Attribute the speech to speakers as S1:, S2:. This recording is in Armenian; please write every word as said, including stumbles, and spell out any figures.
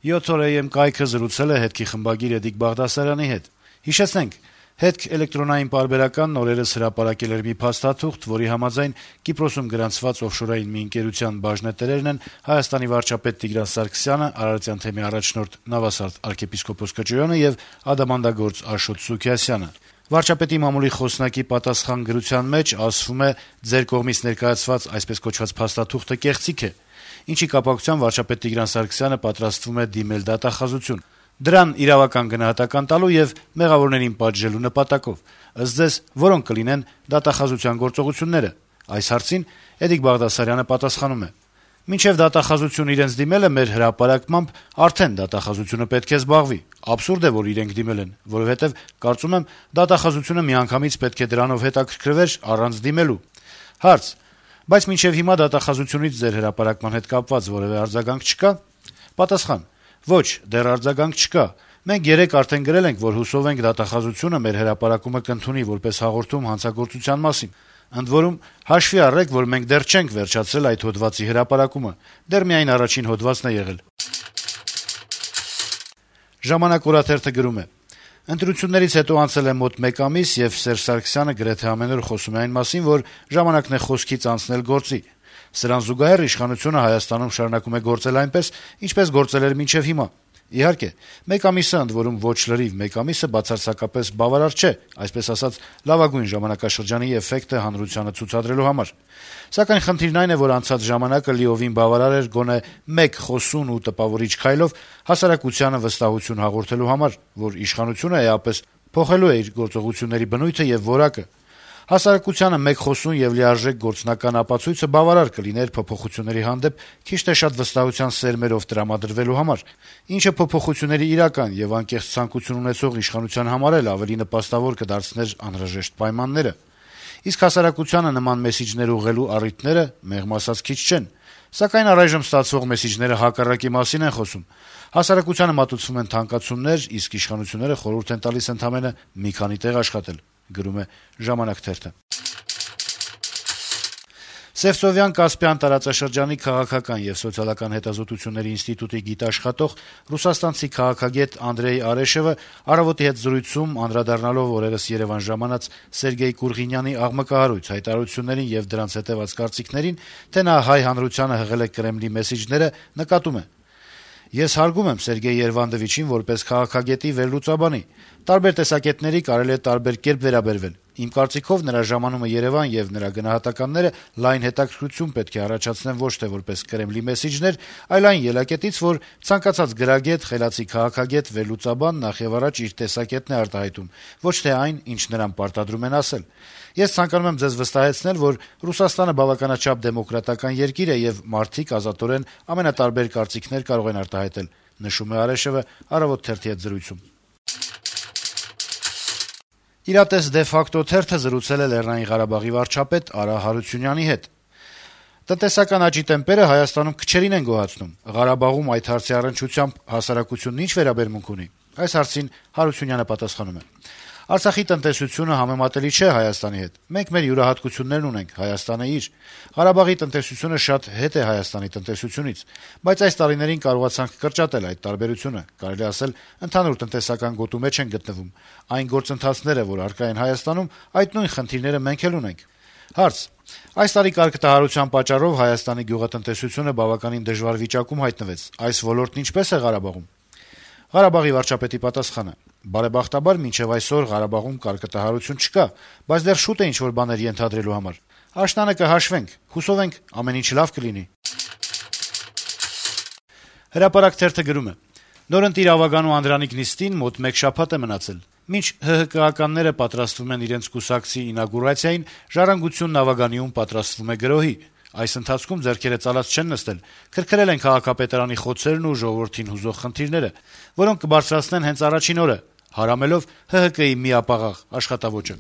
S1: յոթ օր է եմ կայքը զրուցել է հետքի խմբագիր Էդիկ Բաղդասարյանի հետ։ Հիշեցնենք, հետք էլեկտրոնային պարբերականն օրերս հրապարակել էր մի փաստաթուղթ, որի համաձայն Կիպրոսում գրանցված օֆշորային մի ընկերության բաժնետերերն են Հայաստանի վարչապետ Տիգրան Սարգսյանը, Արարատյան թեմի առաջնորդ Նավասարդ arczepiskopos Կճոյանը եւ ադամանդագործ Աշոտ Սուքիասյանը։ Վարչապետի մամուլի խոսնակի պատասխան գրության մեջ ասվում է՝ ձեր կողմից ներկայացված այսպես կոչված փաստաթուղթը կեղծիք է, ինչի կապակցությամբ վարչապետ Տիգրան Սարգսյանը պատրաստվում է դիմել դատախազություն։ Դրան իրավական գնահատական տալու եւ մեղավորներին պատժելու նպատակով։ Ըստ ձեզ, որոնք կլինեն դատախազության գործողությունները։ Այս հարցին Էդիկ Բաղդասարյանը պատասխանում է. Մինչև դատախազություն իրենց դիմելը մեր հրապարակմամբ արդեն դատախազությունը պետք է զբաղվի։ Աբսուրդ է, որ իրենք դիմել են, որովհետեւ կարծում եմ դատախազությունը միանգամից պետք է դրանով հետաքրքրվեր առանց դիմելու։ Հարց. բայց մինչև հիմա դատախազությունից ձեր հրապարակման հետ կապված որևէ արձագանք չկա։ Պատասխան. ոչ, դեռ արձագանք չկա։ Մենք երեկ արդեն գրել ենք, որ հուսով ենք դատախազությունը մեր հրապարակումը կընդունի որպես հաղորդում հանցագործության մասին։ Ընդ որում, հաշվի առեք, որ մենք դեռ չենք վերջացրել այդ հոդվածի հրապարակումը, դեռ միայն առաջին հոդվածն է եղել։ «Ժամանակ» օրաթերթը գրում է. Ընտրություններից հետո անցել է մոտ մեկ ամիս, եւ Սերժ Սարգսյանը գրեթե ամեն օր խոսում է այն մասին, որ ժամանակն է խոսքից անցնել գործի։ Սրան զուգահեռ իշխանությունը Հայաստանում շարունակում է գործել այնպես, ինչպես գործել էր մինչև հիմա։ Իհարկե, մեկ ամիսը, ընդ որում ոչ լրիվ մեկ ամիսը, բացարձակապես բավարար չէ, այսպես ասած, լավագույն ժամանակաշրջանի էֆեկտը հանրությանը ցուցադրելու համար։ Սակայն խնդիրն այն է, որ անցած ժամանակը լիովին բավարար էր գոնե մեկ խոսուն ու տպավորիչ քայլով հասարակությանը վստահություն հաղորդելու համար, որ իշխանությունը էապես փոխելու է իր գործողությունների բնույթը եւ որակը։ Հասարակությանը մեկ խոսուն եւ լիարժեք գործնական ապացույցը բավարար կլիներ փոփոխությունների հանդեպ քիչ թե շատ վստահության սերմերով տրամադրվելու համար, ինչը փոփոխությունների իրական եւ անկեղծ ցանկություն ունեցող իշխանության համար էլ ավելի նպաստավոր կդարձներ անհրաժեշտ պայմանները։ Իսկ հասարակությանը նման մեսիջներ ուղղելու առիթները, մեղմ ասած, քիչ չեն։ Սակայն առայժմ ստացվող մեսիջները հակառակի մասին են խոսում։ Հասարակությանը մատուցվում են թանկացումներ, իսկ իշխանությունները խորհուրդ են տալիս ընդամենը մի քանի տեղ աշխատել։ Գրում է «Ժամանակ» թերթը։ Սևծովյան-Կասպյան տարածաշրջանի քաղաքական եւ սոցիալական հետազոտությունների ինստիտուտի գիտաշխատող ռուսաստանցի քաղաքագետ Անդրեյ Արեշևը առավոտի հետ զրույցում անդրադառնալով օրերս Երևան ժամանած Սերգեյ Կուրղինյանի աղմկահարույց հայտարարություններին եւ դրանց հետեւած կարծիքներին, թե նա հայ հանրությանը հղել է Կրեմլի մեսիջները, նկատում է. Ես հարգում եմ Սերգեյ Երվանդովիչին որպես քաղաքագետի վերլուծաբանի։ Տարբեր տեսակետների կարելի է տարբեր կերպ վերաբերվել։ Իմ կարծիքով նրա ժամանումը Երևան եւ նրա գնահատականները լայն հետաքրքրություն պետք է առաջացնեն ոչ թե որպես Կրեմլի մեսիջներ, այլ այն ելակետից, որ ցանկացած գրագետ, խելացի քաղաքագետ, վերլուծաբան նախևառաջ իր տեսակետն է արտահայտում, ոչ թե այն, ինչ նրան պարտադրում են ասել։ Ես ցանկանում եմ ձեզ վստահեցնել, որ Ռուսաստանը բավականաչափ դեմոկրատական երկիր է եւ մարդիկ ազատորեն ամենատարբեր կարծիքներ կարող են արտահայտել, նշում է Արեշևը «Առավոտ» թերթի հետ զրույցում։ Իրատես դե ֆակտո թերթը զրուցել է Լեռնային Ղարաբաղի վարչապետ Արա Հարությունյանի հետ։ Տնտեսական աճի տեմպերը Հայաստանում քչերին են գոհացնում։ Ղարաբաղում այդ հարցի առնչությամբ հասարակությունն ինչ վերաբերմունք ունի։ Այս հարցին Հարությունյանը պատասխանում է. Արցախի տնտեսությունը համեմատելի չէ Հայաստանի հետ։ Մենք մեր յուրահատկություններն ունենք, Հայաստանը իր։ Ղարաբաղի տնտեսությունը շատ հետ է Հայաստանի տնտեսությունից, բայց այս տարիներին կարողացանք կրճատել այդ տարբերությունը։ Կարելի ասել, ընդհանուր տնտեսական գոտու մեջ են գտնվում։ Այն գործընթացները, որ առկա են Հայաստանում, այդ նույն խնդիրները մենք էլ ունենք։ Հարց. Այս տարի կարգտահարության պատճառով Հայաստանի գյուղատնտեսությունը բավականին դժվար վիճակում հայտնվեց։ Այս ոլորտն ինչպես է Ղարաբաղում։ Ղարաբաղի վարչապետի պատասխանը. Բարեբախտաբար մինչև այսօր Ղարաբաղում կարգտահարություն չկա, բայց դեռ շուտ է ինչ-որ բաներ ենթադրելու համար։ Աշնանը կհաշվենք, հուսով ենք ամեն ինչ լավ կլինի։ Հրապարակ թերթը գրում է. Նորընտիր Ավագանու Անդրանիկ նիստին մոտ մեկ շաբաթ է մնացել։ Մինչ ՀՀԿ-ականները պատրաստվում են իրենց կուսակցի ինագուրացիային, Ժառանգությունն Ավագանիում պատրաստվում է գրոհի։ Այս ընթացքում ձեռքերը ծալած չեն նստել, քրքրել են քաղաքապետարանի խոցերն ու ժողովրդին հուզող խնդիրները, որոնք կբարձրացնեն հենց առաջին օրը, հարամելով ՀՀԿ-ի միապաղաղ աշխատավոճը։